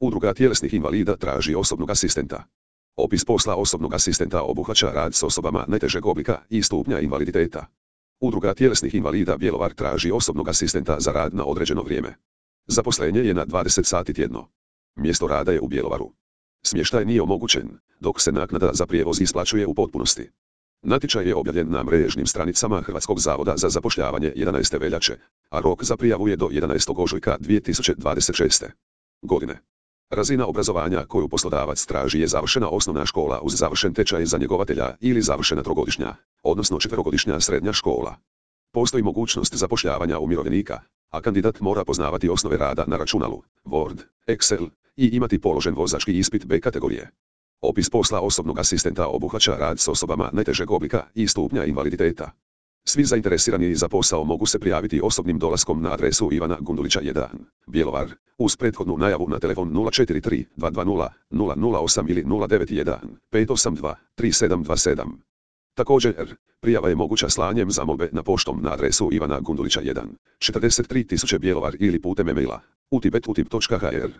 Udruga tjelesnih invalida traži osobnog asistenta. Opis posla osobnog asistenta obuhvaća rad s osobama najtežeg oblika i stupnja invaliditeta. Udruga tjelesnih invalida Bjelovar traži osobnog asistenta za rad na određeno vrijeme. Zaposlenje je na 20 sati tjedno. Mjesto rada je u Bjelovaru. Smještaj nije omogućen, dok se naknada za prijevoz isplaćuje u potpunosti. Natječaj je objavljen na mrežnim stranicama Hrvatskog zavoda za zapošljavanje 11. veljače, a rok za prijavu je do 11. ožujka 2026. godine. Razina obrazovanja koju poslodavac traži je završena osnovna škola uz završen tečaj za njegovatelja ili završena trogodišnja, odnosno četverogodišnja srednja škola. Postoji mogućnost zapošljavanja umirovljenika, a kandidat mora poznavati osnove rada na računalu, Word, Excel i imati položen vozački ispit B kategorije. Opis posla osobnog asistenta obuhvaća rad s osobama najtežeg oblika i stupnja invaliditeta. Svi zainteresirani za posao mogu se prijaviti osobnim dolaskom na adresu Ivana Gundulića 1, Bjelovar, uz prethodnu najavu na telefon 043 220 008 ili 091 582 3727. Također, prijava je moguća slanjem zamolbe na poštom na adresu Ivana Gundulića 1, 43 000 Bjelovar ili putem e-maila utip@utip.hr.